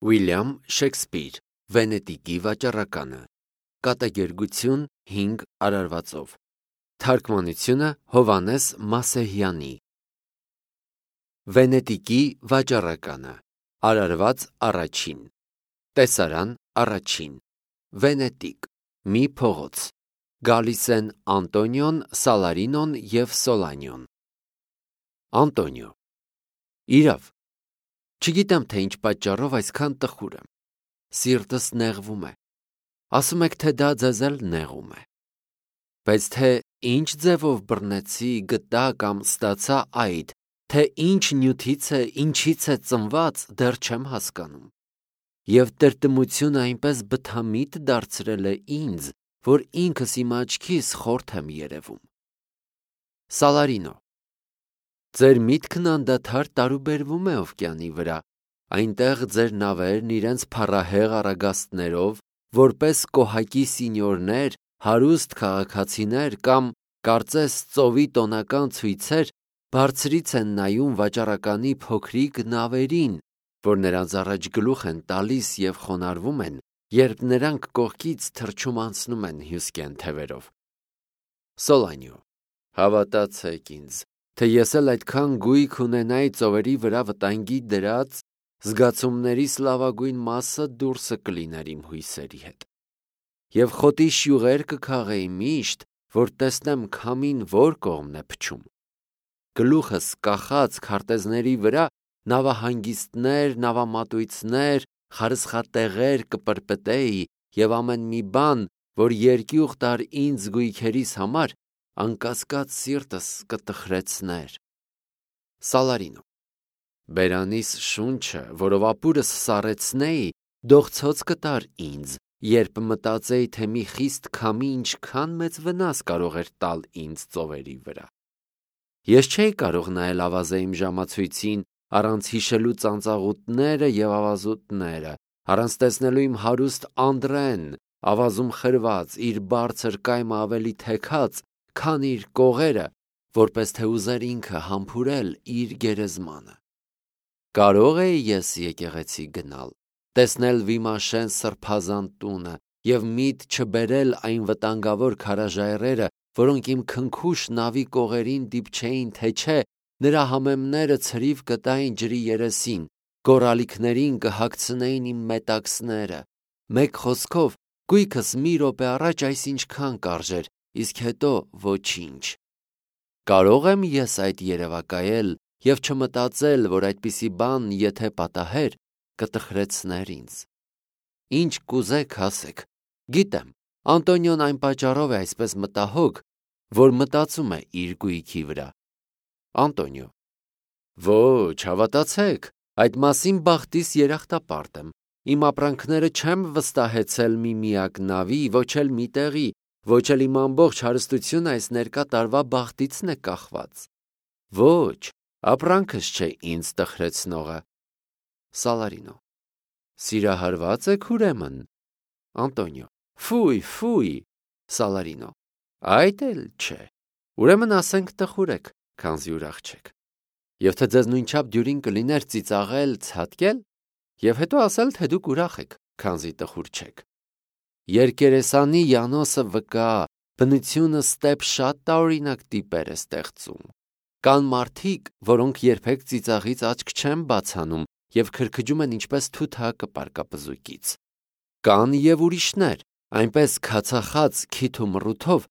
Ուիլյամ Շեքսպիր, Վենետիկի վաճառականը, կատակերգություն 5 արարվածով, թարգմանությունը Հովհաննես Մասեհյանի։ Վենետիկի վաճառականը, արարված առաջին, տեսարան առաջին, Վենետիկ, մի փողոց, գալիս են Անտոնիոն, Սալարինոն և Սոլանիոն։ Անտոնիո. Իրավ, չգիտեմ, թե ինչ պատճառով այսքան տխուր եմ, սիրտս նեղվում է, ասում եք, թե դա ձեզ էլ նեղում է, բայց թե ինչ ձևով բռնեցի, գտա կամ ստացա այդ, թե ինչ նյութից է, ինչից է ծնված, դեռ չեմ հասկանում, և տրտմությունը այնպես բթամիտ դարձրել է ինձ, որ ինքս իմ աչքիս խորթ եմ երևում։ Սալարինո. Ձեր միտքն անդադար տարուբերվում է օվկիանի վրա, այնտեղ ձեր նավերն իրենց փառահեղ առագաստներով, որպես կոհակի սինյորներ, հարուստ քաղաքացիներ կամ կարծես ծովի տոնական ցույցեր, բարձրից են նայում վաճառականի փոքրիկ նավերին, որ նրանց առաջ գլուխ են տալիս և խոնարհվում են, երբ նրանք կողքից թռչում անցնում են հյուսկեն թևերով։ Սոլանիո. Հավատացեք ինձ, թե ես էլ այդքան գույք ունենայի ծովերի վրա վտանգի դրած, զգացումներիս լավագույն մասը դուրսը կլիներ իմ հույսերի հետ։ Եվ խոտի շյուղեր կքաղեի միշտ, որ տեսնեմ քամին որ կողմն է փչում։ Գլուխս կախած քարտեզների վրա նավահանգիստներ, նավամատույցներ, խարսխատեղեր կպրպտեի և ամեն մի բան, որ երկյուղ տար ինձ գույքերիս համար, անկասկած սիրտս կտխրեցներ։ Սալարինո. Բերանիս շունչը, որով ապուրս սառեցնեի, դողցոց կտար ինձ, երբ մտածեի, թե մի խիստ քամի ինչքան մեծ վնաս կարող էր տալ ինձ ծովերի վրա։ Ես չէի կարող նայել ավազե իմ ժամացույցին, առանց հիշելու ծանծաղուտները և ավազուտները, առանց տեսնելու իմ հարուստ Անդրեն, ավազում խրված, իր բարձր կայմը ավելի թեքած, քան իր կողերը, որպես թե ուզեր ինքը համբուրել իր գերեզմանը։ Կարող էի ես եկեղեցի գնալ, տեսնել Վիմաշեն սրբազան տունը և միտ չբերել այն վտանգավոր քարաժայռերը, որոնք իմ քնքուշ նավի կողերին դիպչեին, թե չէ, նրա համեմները ցրիվ կտային ջրի երեսին, գորալիքներին կհագցնեին իմ մետաքսները, մեկ խոսքով, գույքս մի րոպե առաջ այսինչքան կարժեր, իսկ հետո ոչինչ։ Կարող եմ ես այդ երևակայել և չմտածել, որ այդպիսի բան, եթե պատահեր, կտխրեցներ ինձ։ Ինչ կուզեք ասեք, գիտեմ, Անտոնիոն այն պատճառով է այսպես մտահոգ, որ մտածում է իր գույքի վրա։ Անտոնիո. Ոչ, հավատացեք, այդ մասին բախտիս երախտապարտ եմ, իմ ապրանքները չեմ վստահեցել մի միակ նավի, ոչ էլ մի տեղի, ոչ էլ իմ ամբողջ հարստությունը այս ներկա տարվա բախտիցն է կախված։ Ոչ, ապրանքս չէ ինձ տխրեցնողը։ Սալարինո. Սիրահարված եք ուրեմն։ Անտոնիո. Ֆույ։ Սալարինո. Այդ էլ չէ։ Ուրեմն ասենք տխուր եք, քանզի ուրախ չեք։ Եվ թե ձեզ նույնչափ դյուրին կլիներ ծիծաղել, ցատկել, և հետո ասել, թե դուք ուրախ եք, քանզի տխուր չեք։ Երկերեսանի Յանոսը վկա, բնությունը ստեպ շատ տարօրինակ տիպեր է ստեղծում։ Կան մարդիկ, որոնք երբեք ծիծաղից աչք չեն բացանում և քրքջում են ինչպես թութակը պարկապզուկից։ Կան և ուրիշներ, այնպես քացախաց քիթ ու մռութով,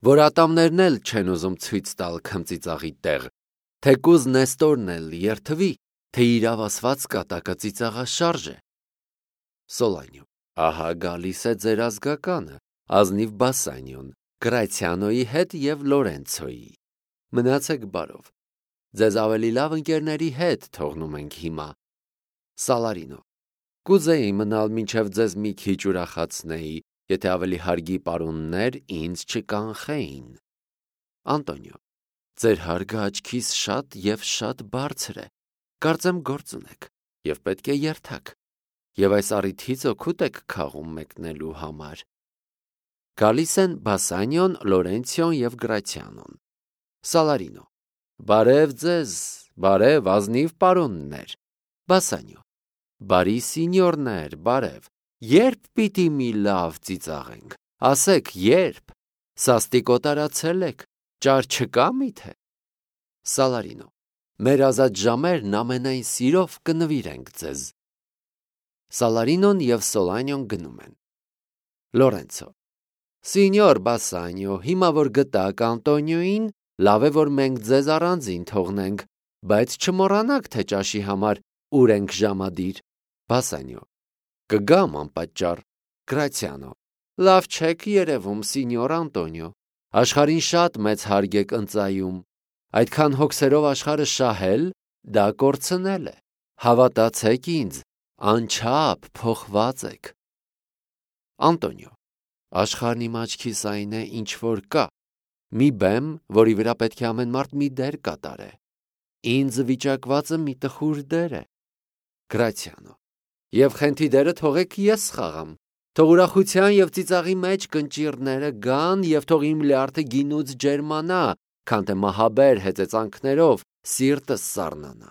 որ ատամներն էլ չեն ուզում ցույց տալ քմծիծաղի տեղ, թեկուզ Նեստորն էլ երդվի, թե իրավ ասված կատակը ծիծաղաշարժ է։ Սոլանիո. Ահա գալիս է ձեր ազգականը, ազնիվ Բասանիոն, Գրացիանոյի հետ և Լորենցոյի։ Մնացեք բարով։ Ձեզ ավելի լավ ընկերների հետ թողնում ենք հիմա։ Սալարինո. Կուզեի մնալ մինչև ձեզ մի քիչ ուրախացնեի, եթե ավելի հարգի պարոններ ինձ չկանխեին։ Անտոնիո. Ձեր հարգը աչքիս շատ և շատ բարձր է, կարծեմ գործ ունեք և պետք է երթաք, և այս առիթից օգուտ եք քաղում մեկնելու համար։ Գալիս են Բասանիոն, Լորենցիոն և Գրացիանոն։ Սալարինո. Բարև ձեզ, բարև ազնիվ պարոններ։ Բասանիո. Բարի սինյորներ, բարև, երբ պիտի մի լավ ծիծաղենք, ասեք երբ, սաստիկ օտարացել եք, ճար չկա միթե։ Սալարինո, մեր ազատ ժամերն ամենայն սիրով կնվիրենք ձեզ։ Սալարինոն և Սոլանյոն գնում են։ Լորենցո, Սինյոր Բասանյո, հիմա որ գտակ Անտոնիոին, լավ է որ մենք ձեզ առանձին թողնենք, բայց չմոռանաք, թե ճաշի համար ուր ենք ժամադիր։ Բասանյո, կգամ անպատճառ։ Գրացիանո, լավ չեք երևում, Սինյոր Անտոնիո, աշխարհին շատ մեծ հարկ եք ընծայում, այդքան հոգսերով աշխարհը շահել, դա կորցնել է, հավատացեք ինձ, անչափ փոխված եք։ Անտոնիո, աշխարհն իմ աչքիս այն է, ինչ որ կա, մի բեմ, որի վրա պետք է ամեն մարդ մի դեր կատարե, ինձ վիճակվածը մի տխուր դեր է։ Գրացիանո, և խենթի դերը թողեք ես խաղամ, թող ուրախության և ծիծաղի մեջ կնճիռները գան և թող իմ լյարդը գինուց ջերմանա, քան թե մահաբեր հեծեծանքներով սիրտս սառնանա։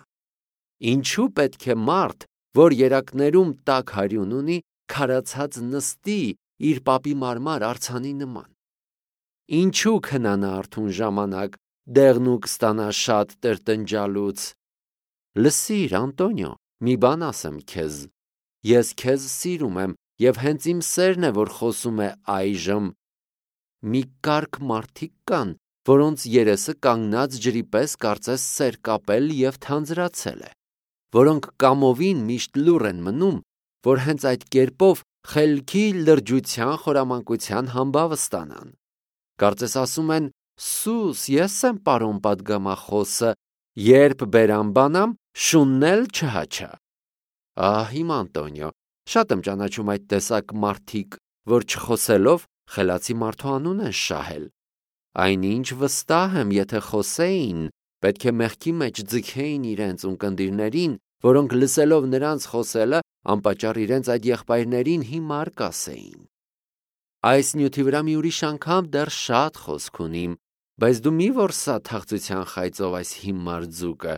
Ինչու պետք է մարդ, որ երակներում տաք հարյուն ունի, քարացած նստի իր պապի մարմար արձանի նման։ Ինչու քնանա արթուն ժամանակ, դեղնուկ ստանա շատ տրտնջալուց։ Լսիր, Անտոնիո, մի բան ասեմ քեզ, ես քեզ սիրում եմ և հենց իմ սերն է, որ խոսում է այժմ։ Մի կարգ մարդիկ կան, որոնց երեսը կանգնած ջրի պես կարծես սեր կապել և թանձրացել է, որոնք կամովին միշտ լուռ են մնում, որ հենց այդ կերպով խելքի, լրջության, խորամանկության համբավը ստանան։ Կարծես ասում են. «Սուս, ես եմ պարոն պատգամախոսը, երբ բերամ բանամ, շունն էլ չհաչա»։ Ահ, իմ Անտոնիո, շատ եմ ճանաչում այդ տեսակ մարդիկ, որ չխոսելով խելացի մարդու անուն են շահել։ Այնինչ վստահ եմ, եթե խոսեին, պետք է մեղքի մեջ ձգեին իրենց ունկնդիրներին, որոնք լսելով նրանց խոսելը, անպատճառ իրենց այդ եղբայրներին հիմար կասեին։ Այս նյութի վրա մի ուրիշ անգամ դեռ շատ խոսք ունիմ, բայց դու մի որսա թախծության խայծով այս հիմար ձուկը,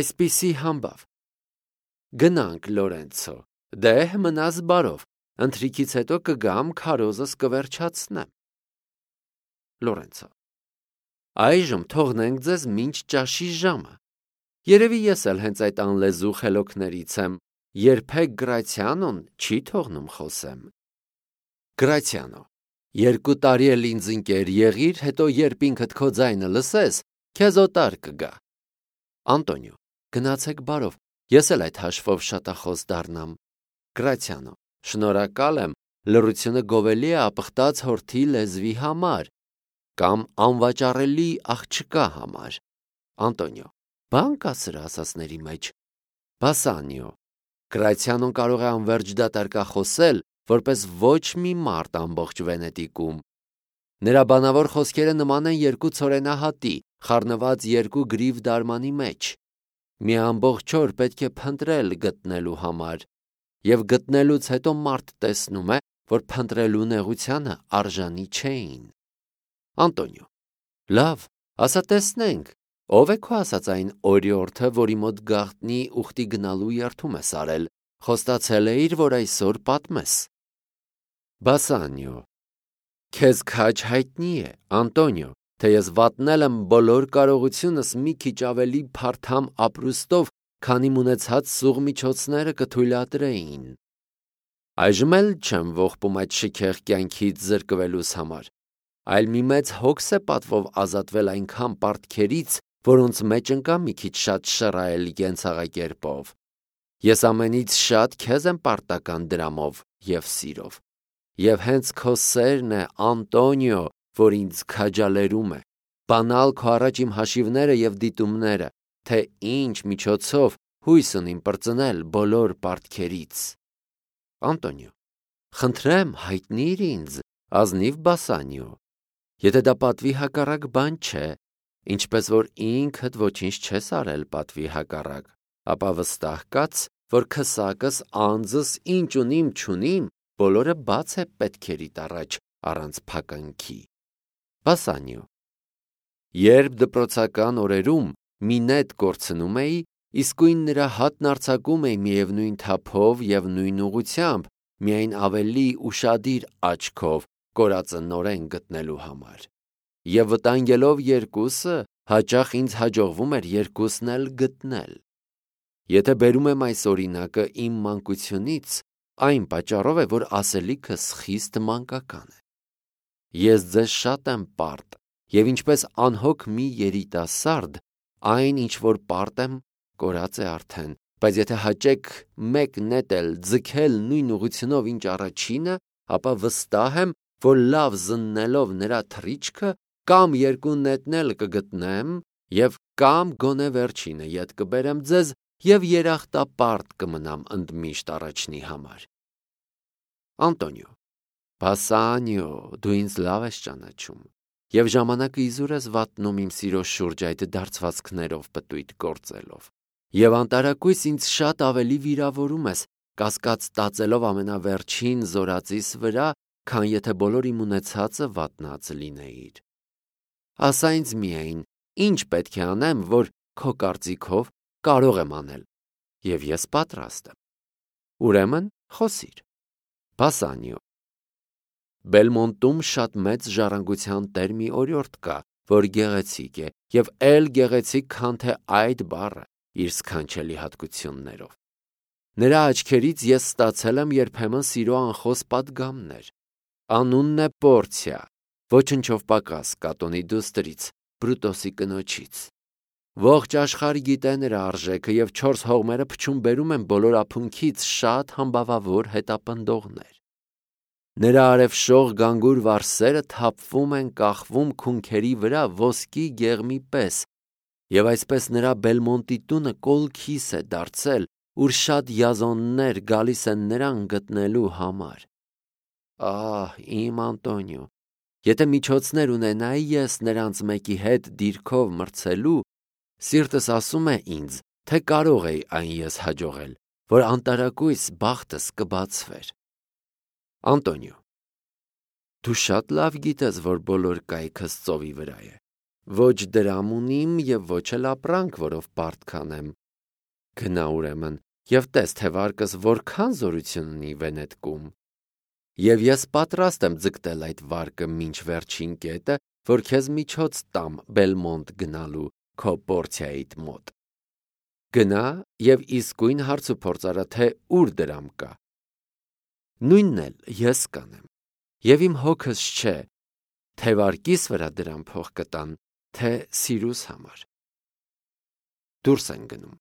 այսպիսի համբավ։ Գնանք, Լորենցո, դեհ մնաս բարով, ընթրիքից հետո կգամ, քարոզս կվերջացնեմ։ Լորենցո, այժմ թողնենք ձեզ մինչ ճաշի ժամը։ Երևի ես էլ հենց այդ անլեզու խելոքներից եմ, երբեք Գրացիանոն չի թողնում խոսեմ։ Գրացիանո, 2 տարի էլ ինձ ընկեր եղիր, հետո երբ ինքդ քո ձայնը լսես, քեզ օտար կգա։ Անտոնիո, գնացեք բարով, ես էլ այդ հաշվով շատախոս դառնամ։ Գրացիանո, շնորհակալ եմ, լռությունը գովելի է ապխտած հորթի լեզվի համար կամ անվաճառելի աղջկա համար։ Անտոնիո, բան կա սրա ասածների մեջ։ Բասանիո, Գրացիանոն կարող է անվերջ դատարկախոսել, որպես ոչ մի մարդ ամբողջ Վենետիկում։ Նրա բանավոր խոսքերը նման են 2 ցորենահատի, խառնված 2 գրիվ դարմանի մեջ։ Մի ամբողջ օր պետք է փնտրել գտնելու համար, և գտնելուց հետո մարդ տեսնում է, որ փնտրելու նեղությանը արժանի չէին։ Անտոնիո, լավ, ասա տեսնենք, ով է քո ասած այն օրիորդը, որի մոտ գաղտնի ուխտի գնալու երդում ես արել, խոստացել էիր, որ այսօր պատմես։ Բասանիո, քեզ քաջ հայտնի է, Անտոնիո, թե ես վատնել եմ բոլոր կարողությունս մի քիչ ավելի փարթամ ապրուստով, քան իմ ունեցած սուղ միջոցները կթույլատրեին։ Այժմ էլ չեմ ողբում այդ շքեղ կյանքից զրկվելուս համար, այլ մի մեծ հոգս է պատվով ազատվել այնքան պարտքերից, որոնց մեջ ընկա մի քիչ շատ շռայել կենցաղակերպով։ Ես ամենից շատ քեզ եմ պարտական դրամով և սիրով։ Եվ հենց քո սերն է, Անտոնիո, որ ինձ քաջալերում է, բանալ քո առաջ իմ հաշիվները և դիտումները, թե ինչ միջոցով հույս ունիմ պրծնել բոլոր պարտքերից։ Անտոնիո, խնդրեմ, հայտնիր ինձ, ազնիվ Բասանիո, եթե դա պատվի հակառակ բան չէ, ինչպես որ ինքդ ոչինչ չես արել պատվի հակառակ, ապա վստահ կաց, որ քսակս անձս ինչ ունիմ չունիմ, բոլորը բաց է պետքերիդ առաջ առանց փականքի։ Բասանիո, երբ դպրոցական օրերում մի նետ կորցնում էի, Իսկույն նրա հատն արձակում էի միևնույն թափով և նույն ուղղությամբ, միայն ավելի ուշադիր աչքով կորածը նորեն գտնելու համար։ Եվ վտանգելով երկուսը, հաճախ ինձ հաջողվում էր երկուսն էլ գտնել։ Եթե բերում եմ այս օրինակը իմ մանկությունից, այն պատճառով է, որ ասելիքս խիստ մանկական է։ Ես ձեզ շատ եմ պարտ, և ինչպես անհոգ մի երիտասարդ, այն, ինչ որ պարտ եմ, կորած է արդեն, բայց եթե հաճեք մեկ նետ էլ ձգել նույն ուղղությունով, ինչ առաջինը, ապա վստահ եմ, որ լավ զննելով նրա թռիչքը, կամ երկու նետն էլ կգտնեմ, և կամ գոնե վերջինը ետ կբերեմ ձեզ և երախտապարտ կմնամ ընդմիշտ առաջնի համար։ Անտոնիո. Բասանիո, դու ինձ լավ ես ճանաչում, և ժամանակը իզուր ես վատնում իմ սիրո շուրջ այդ դարձվածքներով պտույտ գործելով, և անտարակույս ինձ շատ ավելի վիրավորում ես, կասկած տածելով ամենավերջին զորածիս վրա, քան եթե բոլոր իմ ունեցածը վատնած լինեիր։ Ասա ինձ միայն, ինչ պետք է անեմ, որ քո կարծիքով կարող եմ անել, և ես պատրաստ եմ։ Ուրեմն խոսիր։ Բասանիո. Բելմոնտում շատ մեծ ժառանգության տեր մի օրիորդ կա, որ գեղեցիկ է, և էլ գեղեցիկ, քան թե այդ բառը իր սքանչելի հատկություններով։ Նրա աչքերից ես ստացել եմ երբեմն սիրո անխոս պատգամներ։ Անունն է Պորցիա, ոչնչով պակաս Կատոնի դուստրից, Բրուտոսի կնոջից։ Ողջ աշխարհ գիտե նրա արժեքը, և 4 հողմերը փչում բերում են բոլոր ափունքից շատ համբավավոր հետապնդողներ։ Նրա արևշող գանգուր վարսերը թափվում են կախվում քունքերի վրա ոսկի գեղմի պես, և այսպես նրա Բելմոնտի տունը կոլքիս է դարձել, ուր շատ յազոններ գալիս են նրան գտնելու համար։ Ահ, իմ Անտոնիո, եթե միջոցներ ունենայի ես նրանց մեկի հետ դիրքով մրցելու, սիրտս ասում է ինձ, թե կարող էի այն ես հաջողել, որ անտարակույս բախտս կբացվեր։ Անտոնիո. Դու շատ լավ գիտես, որ բոլոր կայքս ծովի վրա է։ Ոչ դրամ ունիմ և ոչ էլ ապրանք, որով պարտ կանեմ։ Գնա ուրեմն և տես, թե վարկս որքան զորություն ունի Վենետկում։ Եվ ես պատրաստ եմ ձգտել այդ վարկը մինչ վերջին կետը, որ քեզ միջոց տամ Բելմոնտ գնալու քո Պորցիայիդ մոտ։ Գնա և իսկույն հարց ու փորձ արա, թե ուր դրամ կա։ Նույնն էլ ես կանեմ, և իմ հոգս չէ, թե վարկիս վրա դրամ փող կտան, թե սիրուս համար։ Դուրս են գնում։